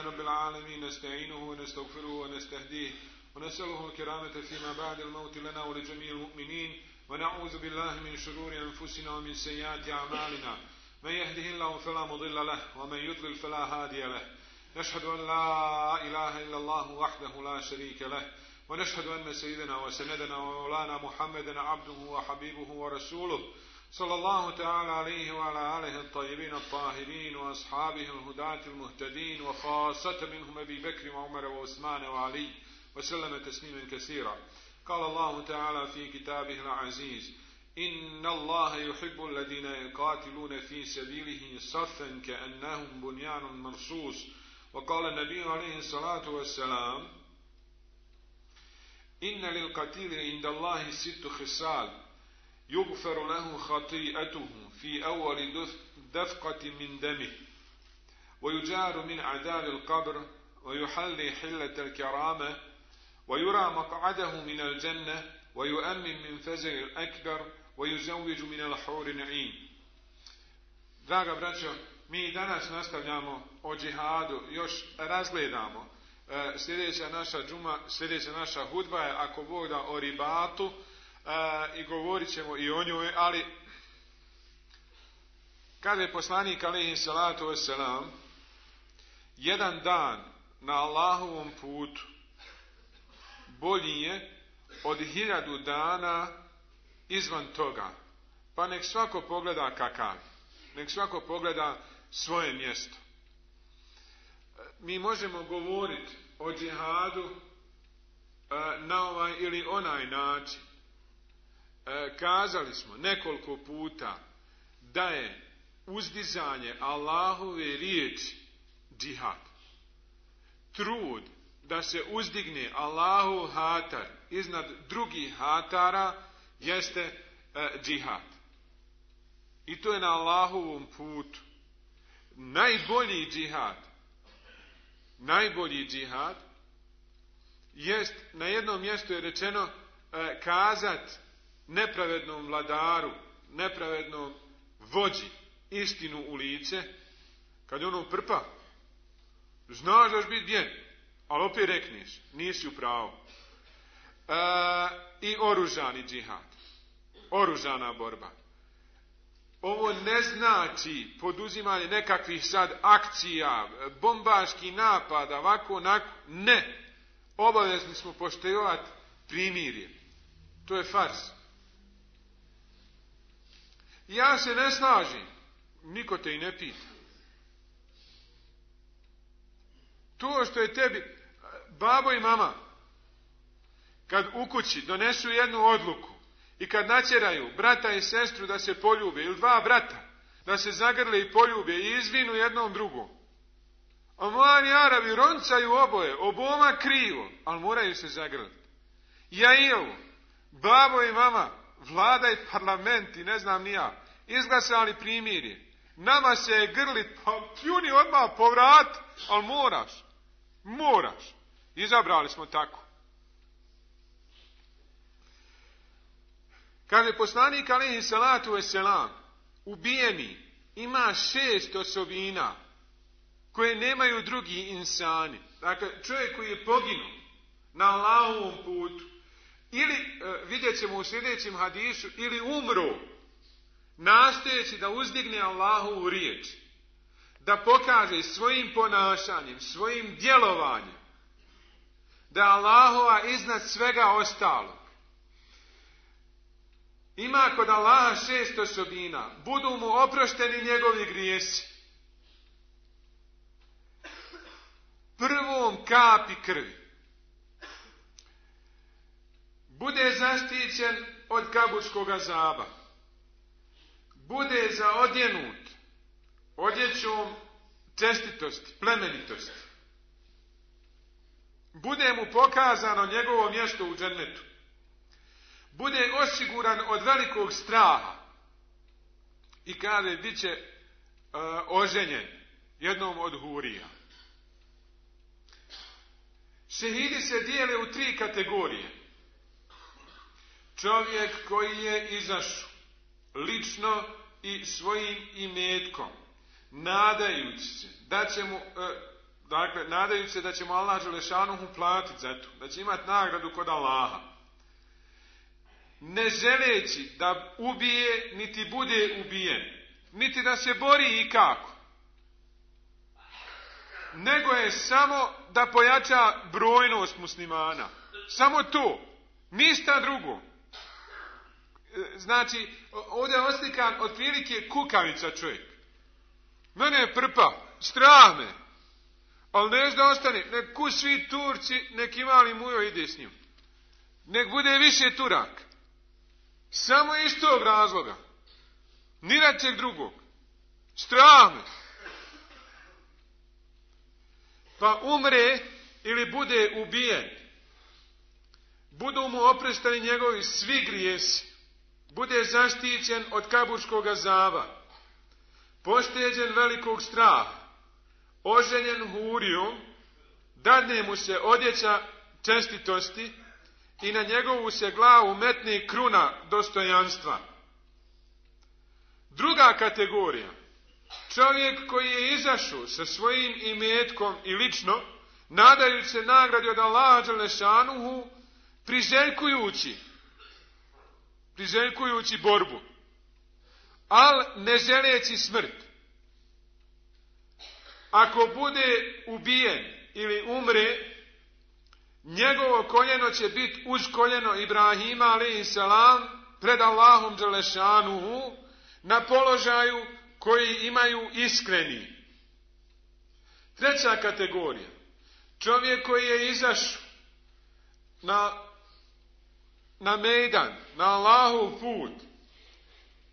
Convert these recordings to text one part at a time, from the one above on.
لله رب العالمين نستعينه ونستغفره ونستهديه ونسأله الكرامة فيما بعد الموت لنا ولجميع المؤمنين ونعوذ بالله من شرور أنفسنا ومن سيئات أعمالنا من يهده الله فلا مضل له ومن يضلل فلا هادي له نشهد أن لا إله إلا الله وحده لا شريك له ونشهد أن سيدنا وسندنا ومولانا محمدا عبده وحبيبه ورسوله صلى الله تعالى عليه وعلى آله الطيبين الطاهرين وأصحابه الهداة المهتدين وخاصة منهم أبي بكر وعمر وعثمان وعلي وسلم تسليما كثيرا. قال الله تعالى في كتابه العزيز إن الله يحب الذين يقاتلون في سبيله صفا كأنهم بنيان مرصوص. وقال النبي عليه الصلاة والسلام إن للقتيل عند الله 6 خصال يغفر له خطيئته في أول دفقة من دمه ويجار من عذاب القبر ويحل حلة الكرامة ويرى مقعده من الجنة ويؤمن من فزع الأكبر ويزوج من الحور العين. Draga braćo, mi danas nastavljamo o džihadu, još razgledamo. Sljedeća naša hudba je, ako Bog da, o ribatu, i govorit ćemo i o njoj, ali kada je poslanik alejhi salatu vesselam jedan dan na Allahovom putu bolji je od 1000 dana izvan toga, pa nek svako pogleda kakav, nek svako pogleda svoje mjesto. Mi možemo govoriti o džihadu na ovaj ili onaj način. Kazali smo nekoliko puta da je uzdizanje Allahove riječi džihad. Trud da se uzdigne Allahov hatar iznad drugih hatara jeste džihad. I to je na Allahovom putu. Najbolji džihad jest, na jednom mjestu je rečeno, kazat nepravednom vladaru, nepravednom vođi istinu u lice, kad je ono prpa, znaš da ćeš biti bijen, ali opet rekneš, nisi u pravu. I oružani džihad, oružana borba. Ovo ne znači poduzimanje nekakvih sad akcija, bombaških napada, ovako, onako, ne. Obavezni smo poštivati primirje. To je fars. Ja se ne slažem, niko te i ne pita. To što je tebi babo i mama, kad u kući donesu jednu odluku i kad natjeraju brata i sestru da se poljube, ili 2 brata da se zagrle i poljube i izvinu jednom drugom, a mladi Arabi roncaju oboje, oboma krivo, ali moraju se zagrliti. Ja i ovo, babo i mama, vlada i parlament i ne znam ni ja, izglasali primirje. Nama se je grlit, pa pljuni odmah povrat, ali moraš. Izabrali smo tako. Kad je poslanik alejhi salatu vesselam ubijeni, ima 6 osobina koje nemaju drugi insani. Dakle, čovjek koji je poginuo na Allahovom putu, ili, vidjet ćemo u sljedećem hadisu, ili umro, nastojeći da uzdigne Allahovu riječ, da pokaže svojim ponašanjem, svojim djelovanjem, da je Allahova iznad svega ostalog. Ima kod Allaha 6 osobina, budu mu oprošteni njegovi grijesi. Prvom kapi krvi. Bude zaštićen od kaburskog azaba. Bude zaodjenut odjećom čestitosti, plemenitosti. Bude mu pokazano njegovo mjesto u džennetu. Bude osiguran od velikog straha i kaže bit će oženjen jednom od hurija. Šehidi se dijele u 3 kategorije. Čovjek koji je izašao lično i svojim imetkom, nadajući se da će mu dakle, nadajući se da ćemo Allah Đelešanuhu platiti za to, da će imati nagradu kod Allaha. Ne želeći da ubije, niti bude ubijen, niti da se bori i kako, nego je samo da pojača brojnost muslimana. Samo to, ništa drugo. Znači, ovdje je oslikan otprilike kukavica čovjek. Mene je prpa, strah me, ali neš da ostane, nek ku svi Turci, nek imali mujo ide s njim. Nek bude više Turak. Samo iz tog razloga. Ni račeg drugog. Strah me. Pa umre ili bude ubijen. Budu mu oprestani njegovi svi grijesi. Bude zaštićen od kaburskog azaba. Pošteđen velikog straha. Oženjen hurijom. Dadne mu se odjeća čestitosti i na njegovu se glavu metne kruna dostojanstva. Druga kategorija. Čovjek koji je izašao sa svojim imetkom i lično, nadajući se nagradi od Allaha Đelešanuhu, priželjkujući borbu, ali ne želeći smrt. Ako bude ubijen ili umre, njegovo koljeno će biti uz koljeno Ibrahima a.s. pred Allahom Đelešanuhu na položaju koji imaju iskreni. Treća kategorija. Čovjek koji je izašao na mejdan, na Allahov put,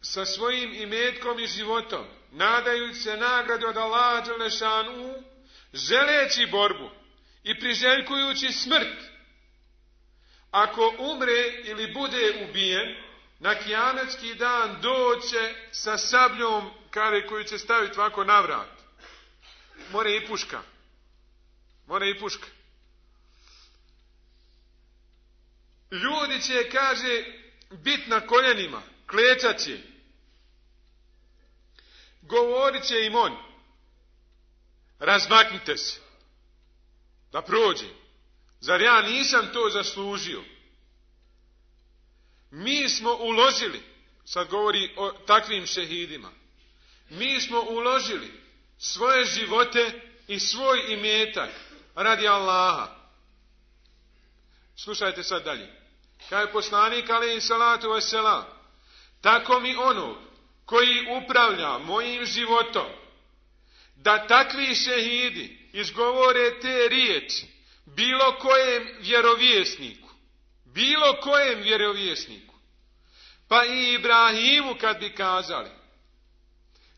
sa svojim imetkom i životom, nadajući se nagradi od Allaha Đelešanuhu, želeći borbu i priželjkujući smrt. Ako umre ili bude ubijen, na kijametski dan doće sa sabljom koju će staviti ovako na vrat. More i puška. Ljudi će, kaže, bit na koljenima, klečat će. Govorit će im on, razmaknite se, da prođe. Zar ja nisam to zaslužio? Mi smo uložili, sad govori o takvim šehidima, mi smo uložili svoje živote i svoj imetak radi Allaha. Slušajte sad dalje. Kao je poslanik alejhi salatu vesselam, tako mi onog koji upravlja mojim životom, da takvi šehidi izgovore te riječi bilo kojem vjerovjesniku, pa i Ibrahimu kad bi kazali,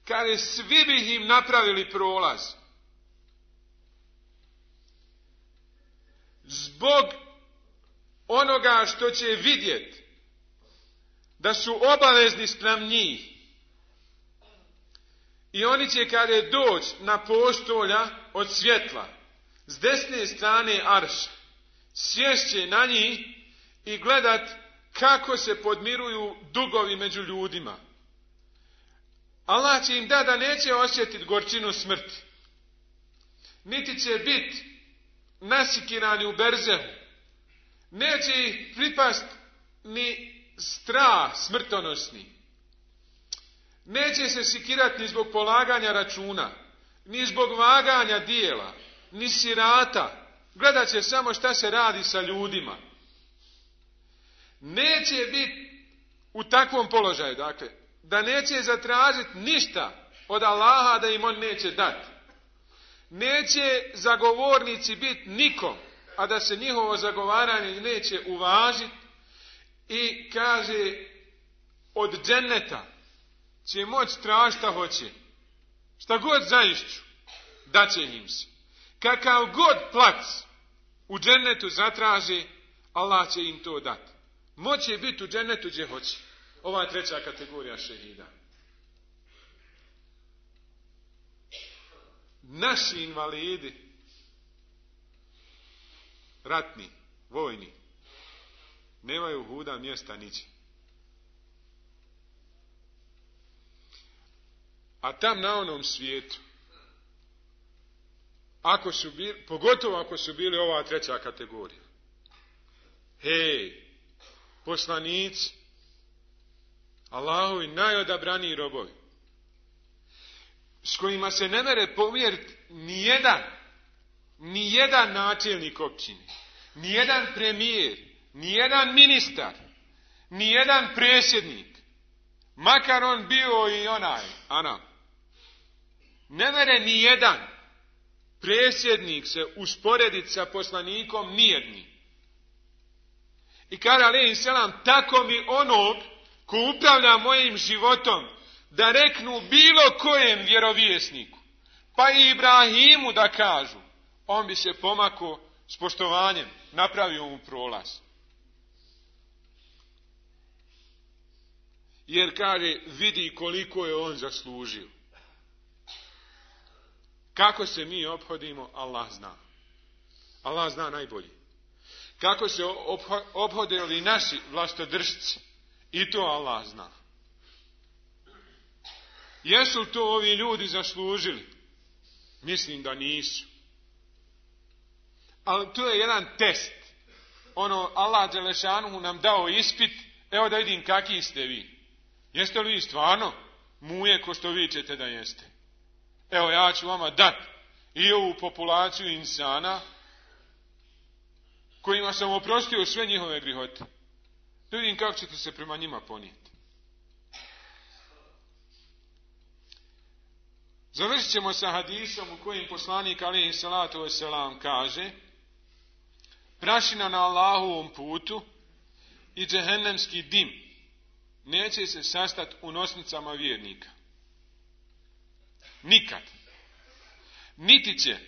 kaže, svi bi im napravili prolaz. Zbog onoga što će vidjeti da su obavezni spram njih. I oni će, kaže, doći na postolja od svjetla s desne strane arša, sješće na njih i gledat kako se podmiruju dugovi među ljudima. Allah će im da neće osjetiti gorčinu smrti. Niti će biti nasikirani u berzehu. Neće ih pripast ni strah smrtonosni. Neće se sikirati ni zbog polaganja računa, ni zbog vaganja dijela, ni sirata. Gledat će samo šta se radi sa ljudima. Neće biti u takvom položaju, dakle, da neće zatražiti ništa od Allaha da im on neće dati. Neće zagovornici biti nikom, a da se njihovo zagovaranje neće uvažiti. I kaže, od dženneta će moći tražiti šta hoće. Šta god zaišću, daće im se. Kakav god plac u džennetu zatraže, Allah će im to dati. Moće biti u džennetu gdje hoće. Ova treća kategorija šehida. Naši invalidi, ratni, vojni, nemaju huda mjesta niđe. A tam na onom svijetu pogotovo ako su bili ova treća kategorija. Hej, poslanici, Allahovi najodabraniji robovi, s kojima se ne mere pomjeriti nijedan načelnik općine, nijedan premijer, nijedan ministar, nijedan predsjednik, makar on bio i onaj, ne mere nijedan predsjednik se usporediti sa poslanikom nijedni. I kaže alejhi selam, tako mi onog ko upravlja mojim životom, da reknu bilo kojem vjerovjesniku, pa i Ibrahimu da kažu, on bi se pomakao s poštovanjem, napravio mu prolaz. Jer kaže, vidi koliko je on zaslužio. Kako se mi ophodimo, Allah zna. Allah zna najbolje. Kako se ophodili naši vlastodržci, i to Allah zna. Jesu to ovi ljudi zaslužili? Mislim da nisu. Ali to je jedan test. Allah dželešanuhu nam dao ispit, evo da vidim kakvi ste vi. Jeste li vi stvarno muje ko što vi ćete da jeste? Evo ja ću vama dati i ovu populaciju insana kojima sam oprostio sve njihove grihote. Da vidim kako ćete se prema njima ponijeti. Završit ćemo sa hadisom u kojim poslanik alejhi salatu vesselam kaže: prašina na Allahovom putu i džehennemski dim neće se sastati u nosnicama vjernika. Nikad. Niti će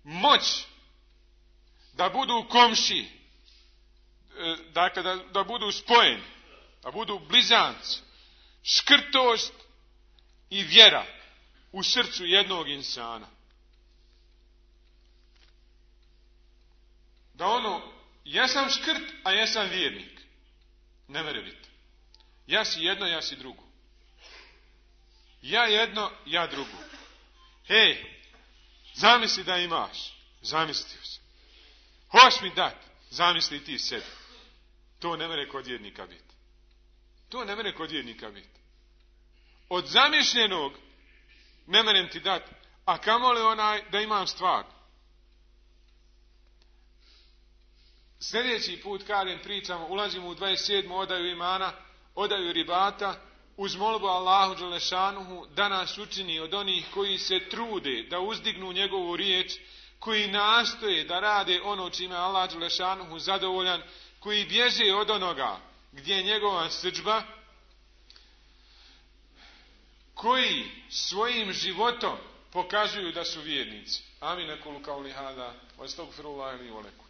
moć da budu komši, dakle da budu spojeni, da budu blizanci, škrtost i vjera u srcu jednog insana. Da jesam škrt, a jesam vjernik. Ne mere biti. Ja si jedno, ja si drugo. Ja jedno, ja drugo. Hej, zamisli da imaš. Zamislio se. Hoš mi dat. Zamisli ti sebi. To ne mere kod vjernika biti. To ne mere kod vjernika biti. Od zamišljenog ne merem ti dat. A kamoli onaj da imam stvar. Sljedeći put kad pričamo, ulazimo u 27. odaju imana, odaju ribata, uz molbu Allahu dželešanuhu da nas učini od onih koji se trude da uzdignu njegovu riječ, koji nastoje da rade ono čime Allah dželešanuhu zadovoljan, koji bježe od onoga gdje je njegova srdžba, koji svojim životom pokazuju da su vjernici. Amin, ekulu kauli hada, wa astagfirullahi li wa lakum.